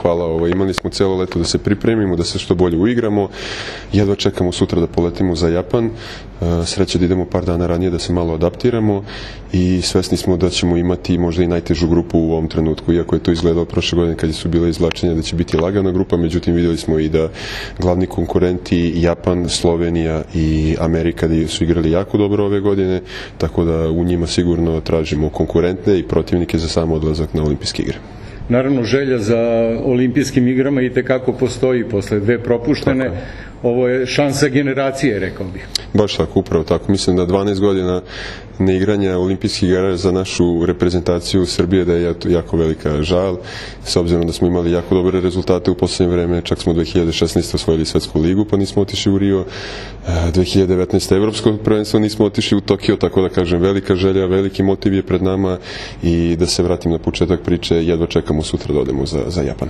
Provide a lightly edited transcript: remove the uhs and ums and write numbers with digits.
Hvala, imali smo cijelo leto da se pripremimo, da se što bolje uigramo. Jedva čekamo sutra da poletimo za Japan. Sreće da idemo par dana ranije da se malo adaptiramo i svesni smo da ćemo imati možda i najtežu grupu u ovom trenutku, iako je to izgledalo prošle godine kad su bile izvlačenja da će biti lagana grupa, međutim vidjeli smo i da glavni konkurenti Japan, Slovenija i Amerika da su igrali jako dobro ove godine, tako da u njima sigurno tražimo konkurentne i protivnike za sam odlazak na olimpijske igre. Naravno, želja za olimpijskim igrama i tekako postoji posle dve propuštene. Ovo je šansa generacije, rekao bih. Baš tako, upravo tako. Mislim da 12 godina neigranja olimpijskih igara za našu reprezentaciju Srbije da je jako velika žal, s obzirom da smo imali jako dobre rezultate u poslednje vreme, čak smo 2016. osvojili svetsku ligu pa nismo otišli u Rio, 2019. evropsko prvenstvo nismo otišli u Tokio, tako da kažem velika želja, veliki motiv je pred nama i da se vratim na početak priče, jedva čekamo sutra da odemo za Japan.